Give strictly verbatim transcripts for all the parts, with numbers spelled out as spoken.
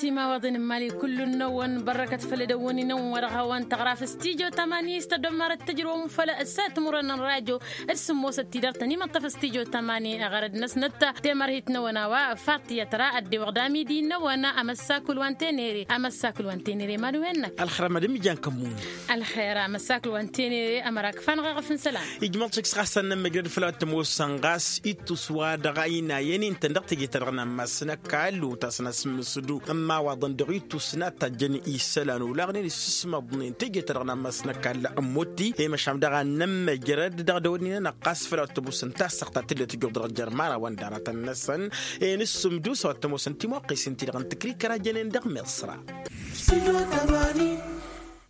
Timawaḍen n-mali kullu-năwăn bărrăkăt făll-edăwwăn-inăwăn wa dăɣ-hawăn-tăɣra f-studyo tămani s-tăddomarăt tǝjrǝwăm făll-ăssat timurăn n-radyo d-sǝmmosăt tidăr-tăn imăṭṭăf studyo tămani ɣărăd-năsnăt temărhit-năwăn a-wa faṭiyăt ra ăddiwăɣ d-amidi-năwăn. Amăssakul wa n-tenere amăssakul wa n-tenere mad-wen-năk. Ălxer a mad-ǝmmǝjan kămmun. Ălxer amăssakul wa n-tenere ămăra kǝfa-năɣ eɣăf n-isălan. Ijmăḍ šik s-ɣas ad-nămmăjrăd făll-a-wa t-ămoosăn ɣas ittus wa dăɣ-a inayăn-in-tăn dăɣ-teje-ta-dăɣ n-ammas n-ăkall otasăn asǝmmǝsǝdu n-imawaḍăn dăɣ-ittus n-ad-tajjăn isălan olaɣnen issǝsmăḍnen teje-ta-dăɣ n-ammas n-ăkall ămmotti i-măšan daɣ ad-nămmăjrăd dăɣ-dăwănninăn ăqqas făll-a-wa t-ămoosăn tassăɣt ta tǝllăt ǝjjuɣ dăɣ-jer-imărawăn d-aratăn-năsăn. I-inǝssǝmdus a-wa t-ămoosăn timuqqes-in-ti-dăɣ n-tǝkrikăra jănen dăɣ-miṣra.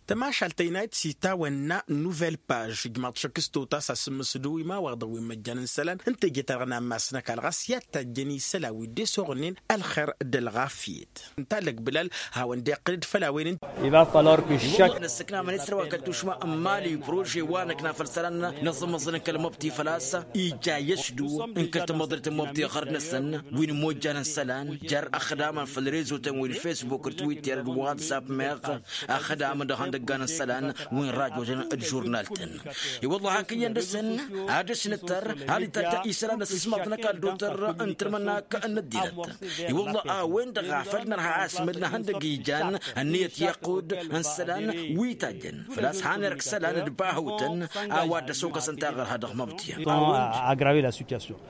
Tămašalt ta inayăt s-itawănna n-nuvel paž ijmaḍ šăkk s-totas asǝmmǝsǝdu imawaḍăn wi n-imăjjan n-isălan n-teje-ta-dăɣ n-ammas n-ăkall ɣas i-ad-tajjăn isălan wi dd-esoɣnen ălxer d-ălɣafyăt. Ǝnta lăgbǝlal hawăn-dd-iqqǝl-dd făll-a-wen. Iwăḍḍa n-ăssăknamăn isălan wa kăl-tušma n-mali prože wa năkna făll-isălan n-aẓǝmmăẓăn n-kăl-măbti făl-a-s ija i-ăšdǝw n-kăl-tamăḍrit n-măbti ɣărd-năsăn wi n-imojjan n-isălan jer-ăxdamăn făll-rezotăn wi n-fesbuk d-twitter d-whatsapp meɣ ăxdamăn dăɣ-ihăndăggan n-isălan wi n-rajotăn d-žurnal-tăn. I-wălla hak iyyăn dăr-săn ad-dăr-s nǝttăr hal itajja isălan n-asǝsmaḍ n-ăkall d-otăr n-tǝrmǝnnak n-ăddinăt. I-wălla a-wen-dăɣ a făl nărha asmǝl n-ihăndăgg ijan ănniyăt i-iqqud n-isălan wi tajjăn făl-a-s han irk isălan d-bahawtăn a-wa dd-ăsokăsăn taɣărha dăɣ-măbtǝyăn.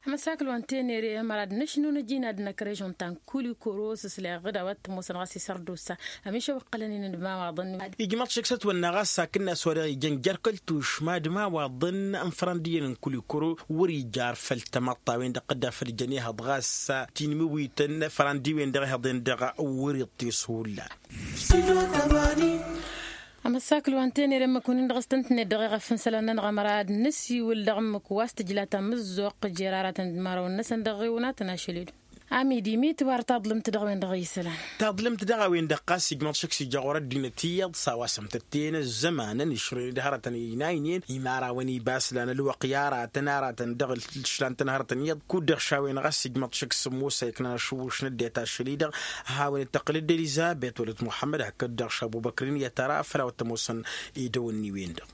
Amăsakǝl wa n-tenere ămăra d-năšnu n-ajin ad-năkk režon ta n-kulikoro s-ǝsleɣ d-a-wa t-ămoosăn ɣas isărdusa ămišăw ǝqqălăn-in d-imawaḍăn. Ijmăḍ šik s-ătwănna ɣas hakd-nas wa dăɣ-ijăn jer-kăl-tušma d-imawaḍăn n-ifrăndiyyăn n-kulikoro wăr-ija ar făll-tamăḍt a-wen-dăɣ dd-afăl jăn ihăḍ ɣas tinmiwităn ifrăndi-wen-dăɣ ihăḍen-dăɣ wăr-iṭṭes hullan. Amăssakǝl wa n-tenere ǝmmǝk wǝnnin-dăɣ s-tăn-tǝnnet dăɣ-eɣăf n-isălan-nănăɣ ămăra ad-nǝsiwǝl dăɣ-ǝmmǝk wa s-tǝjla tamǝzzuɣt jer-aratăn d-imărawăn-năsăn dăɣ-iɣǝwǝnatăn ašăl-i-dăɣ. Amidi mi tǝwar taḍlǝmt dăɣ-a-wen-dăɣ isălan. Taḍlǝmt dăɣ-a-wen-dăɣ ɣas ijmăḍ šăkk s-ija ɣur-ăddinăt iyyăḍ s-a-wa sămtătten ăzzămanăn išrăyăn d-hărătăn inaynen imărawăn ibas lan ălwăqq i-aratăn aratăn dăɣ-ǝšlan-tăn hărătăn iyyăḍ kud-dăɣ šawen ɣas ijmăḍ šăkk s-ămoos a iknan ašǝwwǝš n-ăddinăt ašăl-i-dăɣ. Hawăn dd-tăqqǝl-dd elizăbet wălăt muḥămmăd hakd-dăɣ šabubăkrin i-ad-tăra făll-a-wa t-ămoosăn idăwănni-wen-dăɣ.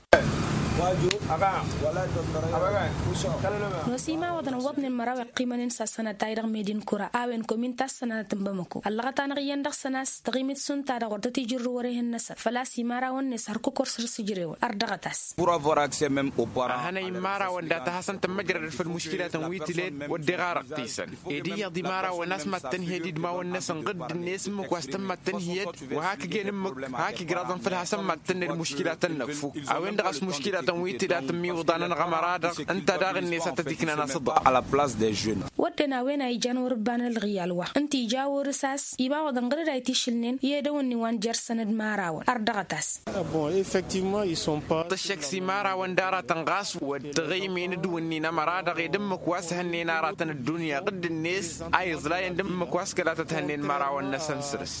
Nos imawăḍăn ǝwwăḍnen măraw iqqimănen s-ad-sănătay dăɣ-medi n-kura a-wen komin ta s-sănatăt n-bamăko ăllăɣăt-anăɣ iyyăn dăɣ-săn a-s taɣimit šund ta-dăɣ wăr tăt-ijrǝw wăr-ehăn-năsăn făl-a-s imărawăn-net hărkuk wăr săr-sǝjrewăn ărdăɣăt-as. A hănăy n-imărawăn data hasăn-tămmăjrădăd făll-muškilatăn wi tǝled wădden ɣarăɣ-t isăn ed iyyăḍ imărawăn a-s mad-tăn-hi-ădidmawăn-năsăn ɣǝdd-net ǝmmǝk wa s-tăn mad-tăn-hi-ădd wa hak ǝjăn ǝmmǝk hak igraẓăn făll-hasăn mad-tăn-ned muškilatăn-năk fuk. A-wen-dăɣ a-s muškilatăn wi tǝla tǝmmiwǝḍanăn ɣămăra-dăɣ ǝnta daɣ-net a tăt-iknan asǝḍăɣ. Wădden a-wen a ijan wăr-ǝbban ălɣiyal wa ǝnta ija wăr-s a-s iba wăḍăn ɣǝr-dd a itišǝlnen i-edăwănni wa n-jer-săn d-imărawăn ărdăɣăt-as. Tǝššăk s-imărawăn d-aratăn ɣas wăr t-ăɣăymen d-wǝnnin ămăra-dăɣ ed ǝmmǝk wa s-hănnen aratăn ăddunya ɣǝdd-net a iẓlayăn d-ǝmmǝk wa s-kăla tăt-hănnen imărawăn-năsăn săr-s.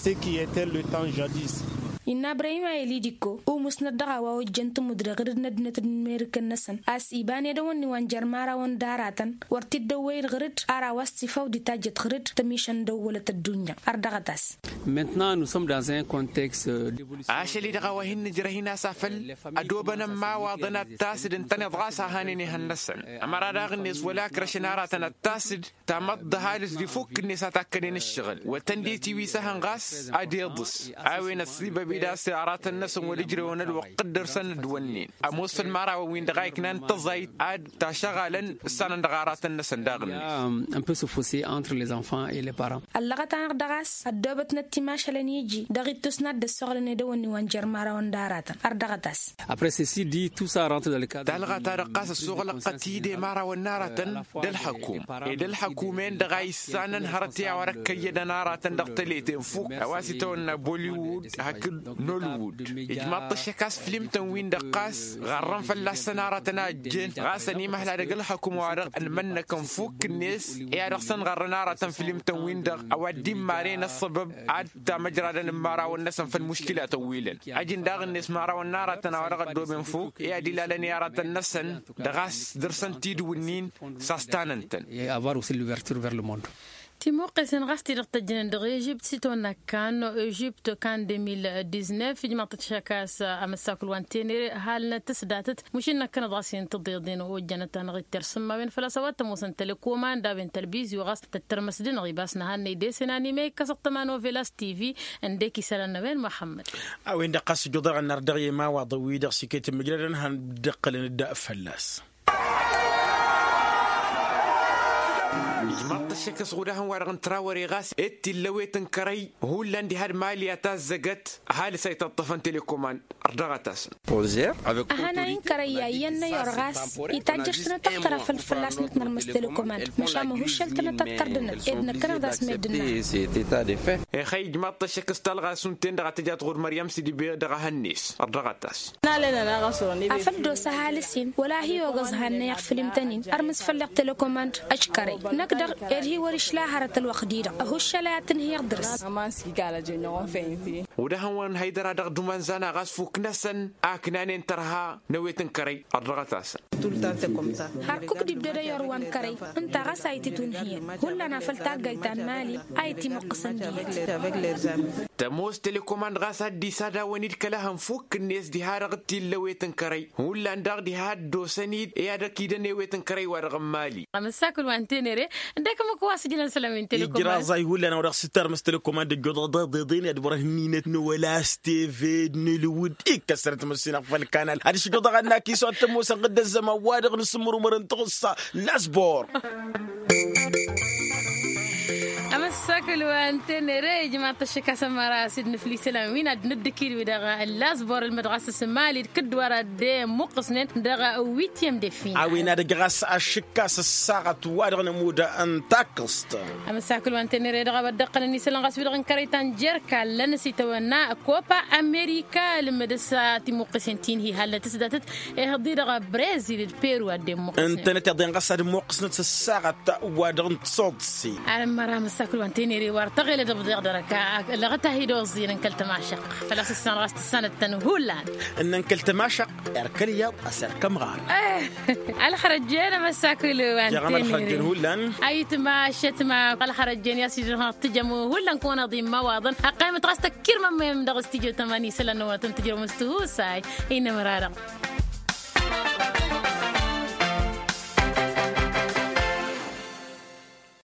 Innă ibrahim a elidikko umusnăt dăɣ-a-wa ojjăn tǝmmǝdre ɣǝr-dd n-ăddinăt d-imerikăn-năsăn a-s iba n-edăwănni wa n-jer-imărawăn d-aratăn wăr t-dd-ăwwăyăd ɣǝr-dd ar a-wa s-tifawdi tajjăt ɣǝr-dd tămišăn dăwwălăt ăddunya. Ărdăɣăt-as. Ašăl-i-dăɣ a-wa hin-nǝjrăh-in a-s afăl ădobănăn imawaḍăn ad-tasǝd ǝntăneḍ ɣas a hanen ehăn-năsăn ămăra daɣ-net wăla ǝkrăšăn aratăn ad-tasǝd tamăḍt d-ăhalǝs d-ifukk-net a takkănen ǝššăɣǝl wăr tăn-dd-itiwisa ehăn ɣas ad-iḍǝs. A-wen ăssibăb-i d-a-s aratăn-năsăn wăr-ǝjrewăn ălwăqq dd-dăr-săn dd-wănnen ămoos făll-imărawăn-win-dăɣ a iknan tăẓayt ad-tašăɣalăn ǝssanăn dăɣ-aratăn-năsăn daɣ-net. Ăllăɣăt-anăɣ dăɣ-a-s ăddoobătnăt timašalăn iji dăɣ-ittus n-ad-dd-ăssoɣlăn edăwănni wa n-jer-imărawăn d-aratăn ărdăɣăt-as. Talɣa-ta-dăɣ ɣas ăssoɣlăɣ-tăt-dd i-imărawăn n-aratăn d-ălxăkum ed ălxăkum-en-dăɣ a issanăn hărăt i-a-wa dăɣ-kăyyădăn aratăn dăɣ-tăleten fuk a-wa s-itawănna bollywood hakd nollywood. Ijmaḍ-t ăššăk a-s flim-tăn-win-dăɣ ɣas ɣarrăn fălla-săn aratăn a ăjjeen ɣas ănimăhla dăgg-ălxăkum wa dăɣ-ănmănnăkăn fuk-net i-ad-dăɣ-săn ɣarrăn aratăn flim-tăn-win-dăɣ a-wa dd-immaren ăṣṣăbăb ad-tamăjradăn n-imărawăn-năsăn făll-muškilatăn wi lăn. Ăjǝn daɣ-net imărawăn n-aratăn a-wa dăɣ-ăddooben fuk i-ad-ilalăn i-aratăn-năsăn dăɣ-a-s dăr-săn tidǝw-ǝnnin s-a-s tanăn-tăn. Avoir aussi l'ouverture vers le monde. Timuqqesen ɣas ti-dăɣ tăjjănen dăɣ-ežipt s-itwănna kan ežipt kan deux mille dix-neuf ijmaḍ-t ăššăk a-s amăssakul wa n-tenere halnăt s-datăt. Mušin năkkănăt ɣas i-ǝntăḍeḍen ojjănăt-anăɣ-dd tersǝmmawen făl-a-s a-wa t-ămoosăn telekomand a-wen tălbizyo ɣas tăttărmăs-dăɣ-năɣ ibas n-ehăn n-ede-sen anime ikkăs ăṭṭăma n-ovelas tv. Ǝndek isălan n-a-wen muḥămmăd. A-wen-dăɣ ɣas ǝjjuḍ-aɣ ănnar dăɣ-i ma-wa-dăɣ wi-dăɣ s-iket n-imǝjradăn han dd-ǝqqǝlăn-dd fălla-s. Ijmaḍ-t ăššăk s-ɣudahăn-wa-dăɣ n-trawăre ɣas ed tillăwet n-kărăy hullan diha d-mali a tazzăgăt. Ăhalǝs a itaṭṭăfăn telekomand ărdăɣăt-asăn. Ăhanay n-kărăy ya iyyăn n-ayor ɣas itajjăš-tănăt ăɣtăr afăl fălla-s nǝtnărmǝs telekomand măšan măhuššăl-tănăt ăttărdănăt ed năkkăneḍ a-s meddǝn-năt. Ixăy ijmaḍ-t ăššăk s-talɣa s-unten-dăɣ a tǝja tɣur măryăm s-idǝbe dăɣ-ehăn-net. Ărdăɣăt-as. Afăl dd-osa ăhalǝs-in wăla hi-ogăẓ hannăyăɣ fǝlim-tăn-in ărmǝs făll-eɣ telekomand. Ăškărăy năkk-dăɣ ed hi-wăr-išla hărăt ălwăqq-di-dăɣ ăhuššăl a i-ad-tǝnhǝyăɣ dăr-s. Wăr-dăɣ-hăn-wăn haydăra dăɣ-dumănzan a ɣas fuk-năsăn a ǝknanen tărha n-ewet n-kărăy. Ărdăɣăt-asăn. Har kuk d-ibdăd ăyor wa n-kărăy ǝnta ɣas a itǝtunhǝyăn hullan afăl taggayt ta n-mali a itimuqqǝsăn dihet. Tămoos telekomand ɣas ad-dd-isadawăn-dd kăla hăn fukk-net diha-dăɣ t-illa ewet n-kărăy hullan daɣ diha dd-osăn-dd i-ad-ăkidăn ewet n-kărăy-wa-dăɣ n-mali. Amăssakǝl wa n-tenere ǝndek ǝmmǝk wa s-ǝjǝnăn isălan wi n-telekomand. Ijraẓay hullan a-wa dăɣ-s tărmǝs telekomand ăjjoḍăɣ dăɣ-deḍen i-ad-wăr-ăhninăt n-wăla s-teve d-nǝlwǝd ikkăsărăt măssinăɣ făll-kanal ad-išǝjjoḍăɣ ad-nakis wa t-ămoosăn ɣǝddăzzăm a-wa-dăɣ nǝsǝmmărumăr n-taɣǝssa. Lasbor. Amăssakǝl wa n-tenere ijmaḍ-t ăššăk a-s ămăra s-dd-nǝfli isălan wi n-ad-nǝddǝkil-wi-dăɣ lasbor ǝlmăd ɣas s-mali d-kǝdd wa dăɣ-dd-imuqqǝsnen dăɣ-witiyăm de fina. A-wen ad-ăj ɣas ašǝkkas ăssaɣăt wa dăɣ-nămudd n-takkăẓt. Amăssakǝl wa n-tenere dăɣ-a-wa dd-ăqqălăn isălan ɣas wi-dăɣ n-kărăy ta n-jerka ǝllăn s-itawănna kopa amerika ǝlmǝdăs timuqqǝsen ti n-hi-halnăt s-datăt. Ihǝḍ-i-dăɣ brezil d-peru ad-dd-imuqqǝsnen. Ǝntănăt iḍen ɣas ad-imuqqǝsnăt s-ăssaɣăt wa dăɣ-n tisoḍse. Almăra amăssakǝl wa n-tenere wa ăr tăɣelăd ǝbḍeɣ dăr-ăkk. Lăɣăt-ahi d-oẓẓin n-kăl-tămašăq făl-a-s ǝssan ɣas tǝssanăt-tăn hullan. Ǝnnăn kăl-tămašăq erk ălyaḍ a-s erk ămɣar. Ălxărăjjen amăssakǝl wa n-tenere hullan. Ayǝtma ăššătma ălxărăjjen i-ad-s-ijrăhăn ad-tǝjăm hullan kăwăn-iḍa imawaḍăn ăqqayǝmăt ɣas tăkkirmămmăyăm dăɣ-s tijăw tămani isălan-năwăn ad-tăn-tǝjrăwăm s-tihusay. Inămăra-dăɣ.